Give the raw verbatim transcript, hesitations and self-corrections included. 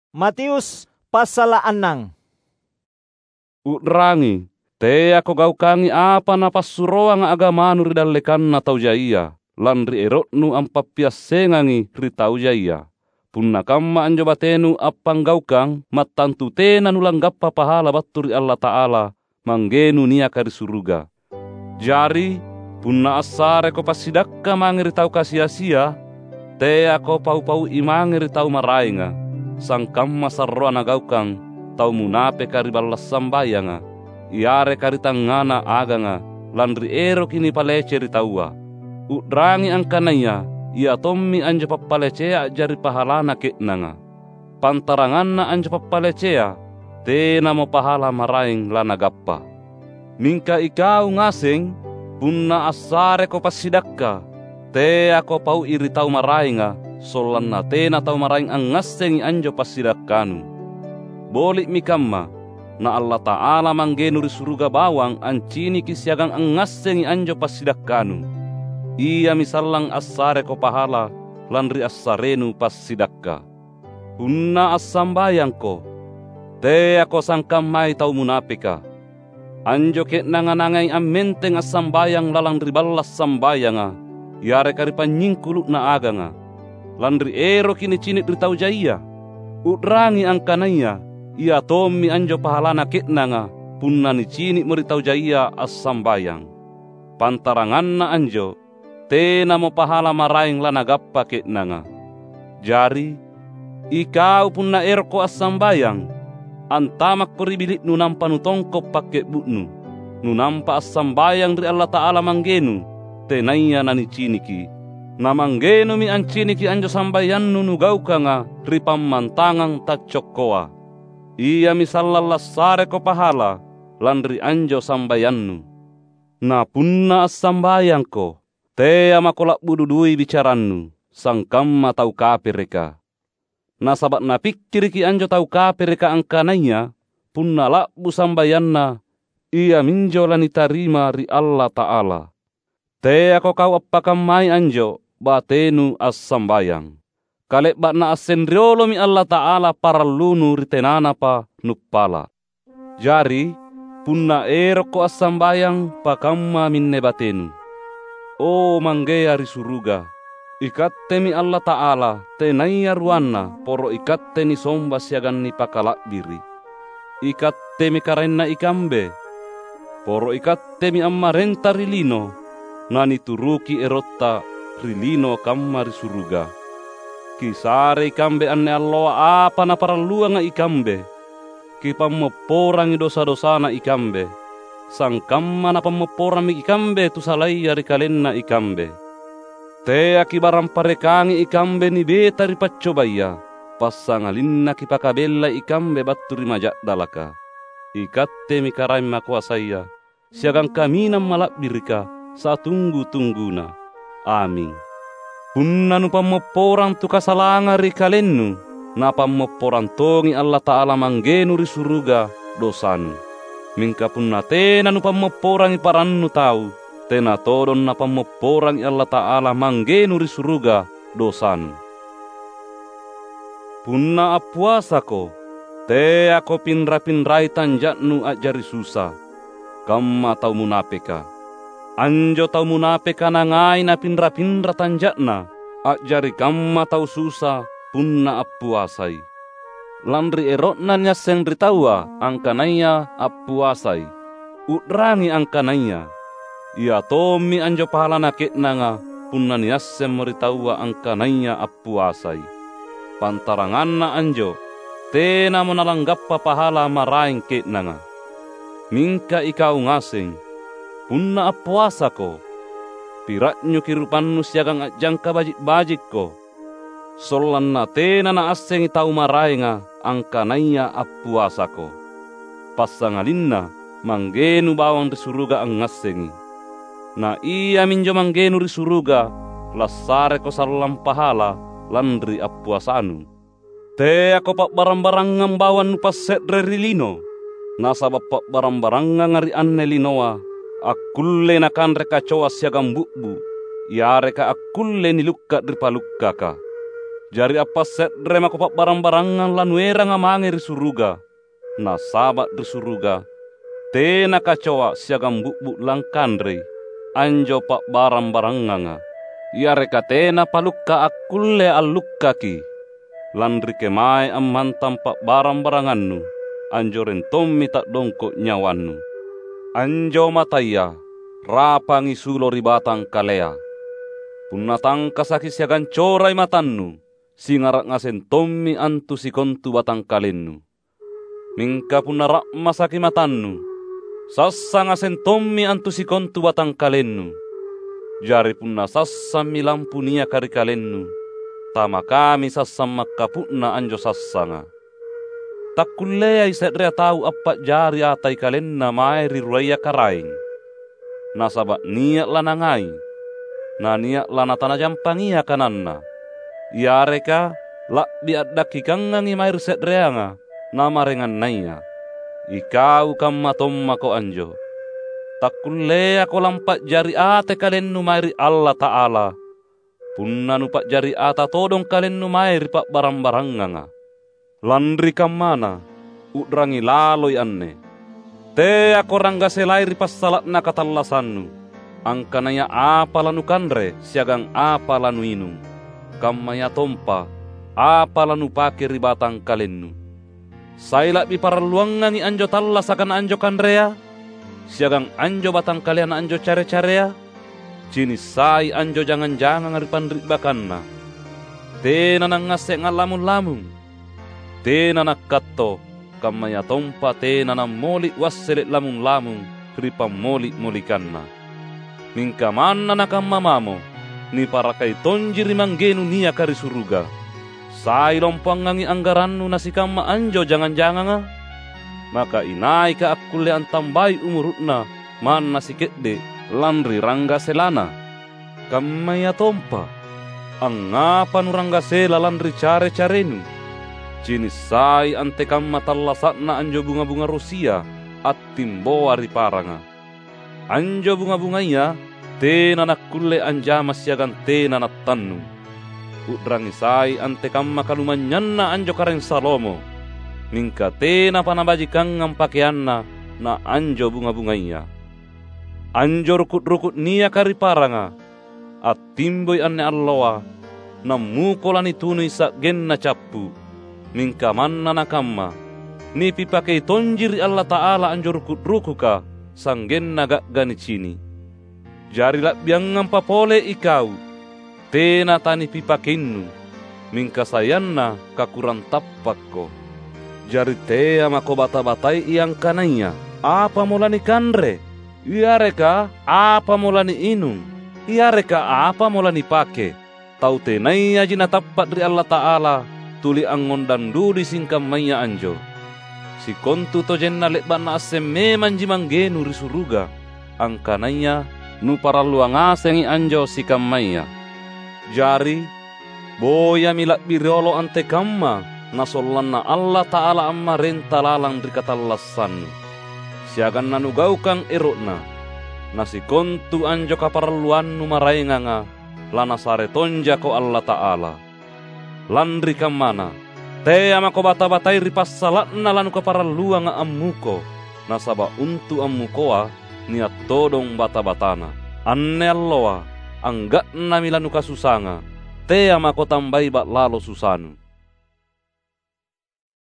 Matius passala’ annang. U'rangi, teako gaukangi apa napassuroanga agamanu ri dallekanna tau jaia, lanri ero'nu ampappiassengangi ri tau jaia. Punna kamma anjo batenu appanggaukang, mattantu tena nulanggappa pahala battu ri Allata'ala, Manggenu niaka ri suruga. Jari, punna assareko passidakka mange ri tau kasi-asia, teako pau-paui mange ri tau maraenga, sangkamma sarroa nagaukang tau munapeka ri balla’ sambayanga, yareka ri tangngana aganga, lanri eroki nipalece ri taua. U'rangi angkanaya ia tommi anjo pappalacea a'jari pahalana ke'nanga. Pantaranganna anjo pappalecea, tenamo pahala maraeng lanagappa. Mingka ikau ngaseng, punna assareko passidakka, teako pau'i ri tau maraenga, sollanna tena tau maraeng angngassengi anjo passidakkanu. Boli'mi kamma, na Allata'ala Manggenu ri suruga bawang anciniki siagang angngassengi anjo passidakkanu. Iami sallang assareko pahala lanri assarenu passidakka. Punna assambayangko, teako sangkammai tau munapeka. Anjo ke'nanga nangai ammenteng assambayang lalang ri balla’ sambayanga, yareka ri panynyingkulu'na aganga, lanri eroki nicini’ ri tau jaia. U'rangi angkanaya ia tommi anjo pahalana ke'nanga punna nicini'mo ri tau jaia assambayang. Pantaranganna anjo, tenamo pahala maraeng lanagappa ke'nanga. Jari, ikau punna erokko assambayang, antamakko ri bili'nu nampa nutongko’ pakke'bu'nu. Nunampa assambayang ri Allata'ala Manggenu, tenaya naniciniki. Na Manggenumi anciniki anjo sambayannu nugaukanga ri pammantangang taccokkoa. Iami sallang lassareko pahala lanri anjo sambayannu. Na punna assambayangko, tea mako la'bu dudui bicarannu, sangkamma tau kapereka. Nasaba’ napikkiriki anjo tau kapereka angkanaya punna la'bu sambayanna, iaminjo lanitarima ri Allata'ala. Teako kau appakammai anjo batenu assambayang. Kale'ba'na asseng riolomi Allata'ala parallunu ri tenanapa nuppala’. Jari, punna erokko assambayang, pakamma minne batenu. O, Manggea ri suruga, ikattemi Allata'ala, tenaya ruanna, poro ikatte nisomba siagang nipakala'biri’. Ikattemi Karaenna ikambe. Poro ikattemi ammarenta ri lino, nanituruki erotta ri lino kamma ri suruga. Kisare ikambe anne alloa apa naparalluanga ikambe. Kipammopporangi dosa-dosana ikambe, sangkamma napammopporammi ikambe tu salaya ri kalenna ikambe. Teaki barang parekangi ikambe nibeta ri paccobaya, passangalinna kipakabellai ikambe battu ri maja'dalaka. Ikattemi Karaeng Makoasaya, siagang Kaminang Mala'birika satunggu-tungguna. Aming. Punna nupammopporang tu kasalanga ri kalennu, Napammopporang tongi Allata'ala Manggenu ri suruga dosanu. Mingka punna tena nupammopporangi parannu tau, tena todong Napammopporangi Allata'ala Manggenu ri suruga dosanu. Punna appuasako, teako pinra-pinrai tanja'nu a'jari susa, kamma tau munapeka. Anjo tau munapeka nangai napinra-pinra tanja'na, a'jari kamma tau susa punna appuasai. Lanri ero'na niasseng ri taua angkanaya appuasai. U'rangi angkanaya, ia tommi anjo pahalana ke'nanga punna niassemmo ri taua angkanaya appuasai. Pantaranganna anjo, tenamo nalanggappa pahala maraeng ke'nanga. Mingka ikau ngaseng, punna appuasako, pira'nyuki rupannu siagang a'jangka baji’-bajikko, sollanna tena naassengi tau maraenga angkanaya appuasako. Passangalinna Manggenu bawang ri suruga angngassengi. Na Iaminjo Manggenu ri suruga lassareko sallang pahala lanri appuasanu. Teako pa'barang-barangang bawang nupasse're ri lino, nasaba’ pa'barang-baranganga ri anne linoa akkullei nakanre kacoa siagang bu'bu, yareka akkullei nilukka’ ri palukkaka. Jari appasse're mako pa'barang-barangang lanueranga mange ri suruga, nasaba' ri suruga tena kacoa siagang bu'bu' langkanrei anjo pa'barang-baranganga, yareka tena palukka akkulle allukkaki. Lanri kemae ammantang pa'barang-barangannu, anjoreng tommi ta'dongko' nyawannu. Anjo mataya rapangi sulo ri batangkalea. Punna tangkasaki siagang corai matannu, singara' ngaseng tommi antu sikontu batangkalennu. Mingka punna ra'masaki matannu, sassa ngaseng tommi antu sikontu batangkalennu. Jari punna sassammi lampu niaka ri kalennu, tamakami sassang makkapu'na anjo sassanga. Takkulleai se'rea tau appa'jari atai kalenna mae ri ruaya Karaeng. Nasaba' nia' lanangai, na nia' lanatanajampangia kananna, yareka la'bi a'dakkikangangi mae ri se'reanga na maraengannaya. Ikau kamma tommako anjo. Takkulleako lampa'jari ate kalennu mae ri Allata'ala, punna nupa'jari ata todong kalennu mae ri pa'barang-baranganga. Lanri kammana, u'rangi laloi anne: Teako ranggaselai ri passala'na katallasannu, angkanaya apa lanukanre siagang apa lanuinung, kammayatompa apa lanupake ri batangkalennu. Sai la'bi paralluangangi anjo tallasaka na anjo kanrea, siagang anjo batangkalea na anjo care-carea? Cini' sai anjo jangang-janganga ri panri'bakanna. Tena nangngasseng a'lamung-lamung. Tena nakkatto, kammayatompa tena nammoli' wassele' lamung-lamung ri pammoli'-molikanna. Mingka manna nakamma mamo, niparakai tonji ri Manggenu niaka ri suruga. Sai lompoangangi anggarannu nasikamma anjo jangang-janganga? Maka inaika akkulle antambai umuru'na manna sike'de' lanri ranggaselana? Kammayatompa, angngapa nuranggasela lanri care-carenu? Cini' sai antekamma tallasa'na anjo bunga-bunga rosia attimboa ri paranga. Anjo bunga-bungaya tena nakkulle anjama siagang tena nattannung. U'rangi sai antekamma kalumanynyanna anjo Karaeng Salomo, mingka tenapa nabajikangang pakeanna na anjo bunga-bungaya. Anjo ruku'-ruku' niaka ri paranga, attimboi anne alloa, nammuko lanitunui sa'genna cappu. Mingka manna nakamma, nipipakei tonji ri Allata'ala anjo ruku'-rukuka, sa'genna ga'ga nicini'. Jari la'biangampa pole ikau, tena tanipipakeinu, mingka sayanna kakurang tappakko. Jari tea mako bata-batai angkanaya apamo lanikanre, yareka apamo laniinung, yareka apamo lanipake. Tau tenayaji natappa' ri Allata'ala tuli angngondang dudui singkammaya anjo. Sikontutojenna le'ba' Naasseng memanji Manggenu ri suruga, angkanaya nuparallua ngasengi anjo sikammaya. Jari, boyami la'bi riolo antekamma na sollanna Allata'ala ammarenta lalang ri katallassannu, siagang nanugaukang ero'Na. Na sikontu anjo kaparalluannu maraenganga, laNasare tonjako Allata'ala. Lanri kammana, tea mako bata-batai ri passala'na lanukaparalluanga ammuko, nasaba' untu' ammukoa nia' todong bata-batana. Anne alloa, angga'nami lanukasusanga, tea mako tambai ba'lalo susanu.